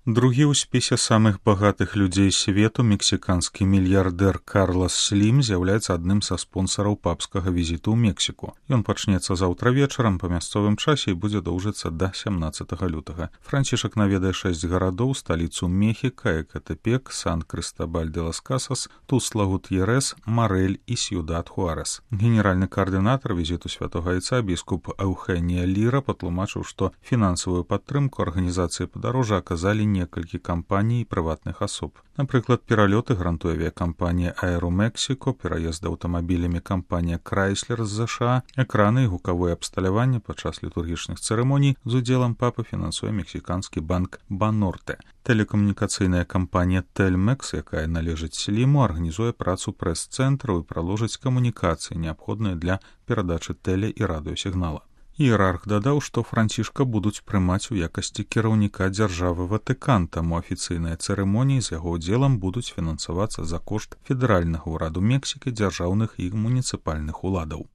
Другі ў спісе самых багатых людзей свету мексіканскі мільярдэр Карлас Слім з'яўляецца адным са спонсараў папскага візіту ў Мексіку. Ён пачнецца заўтра вечарам па мясцовым часе і будзе доўжыцца да 17 лютага. Францішак наведае 6 гарадоў, сталіцу Мехіка, Экатепек, Сан-Крыстабаль-де-лас-Касас, Тусла-Гутьерес, Марэль і Сьюдад-Хуарес. Генеральны каардынатар візіту святога Айца біскуп Эўхенія Ліра патлумачыў, што фінансавую падтрымку арганізацыі падарожжа аказалі некалькі кампаній і прыватных асоб. Напрыклад, пералёты грантуе авіякампанія Аэромексіко, пераезд аўтамабілямі кампанія Крайслер з ЗША, экраны і гукавое абсталяванне падчас літургічных цырымоній з удзелам папы фінансуе мексіканскі банк Банорте. Тэлекамунікацыйная кампанія Телмекс, якая належыць Сліму, арганізуе працу прэс-цэнтраў і праложыць камунікацыі, неабходныя для перадачы тэле- і радыёсігнала. Іерарх дадаў, што Францішка будуць прымаць у якасці кіраўніка дзяржавы Ватыкан, таму афіцыйныя цырымоніі з яго ўдзелам будуць фінансавацца за кошт федэральнага ўраду Мексікі, дзяржаўных і муніцыпальных уладаў.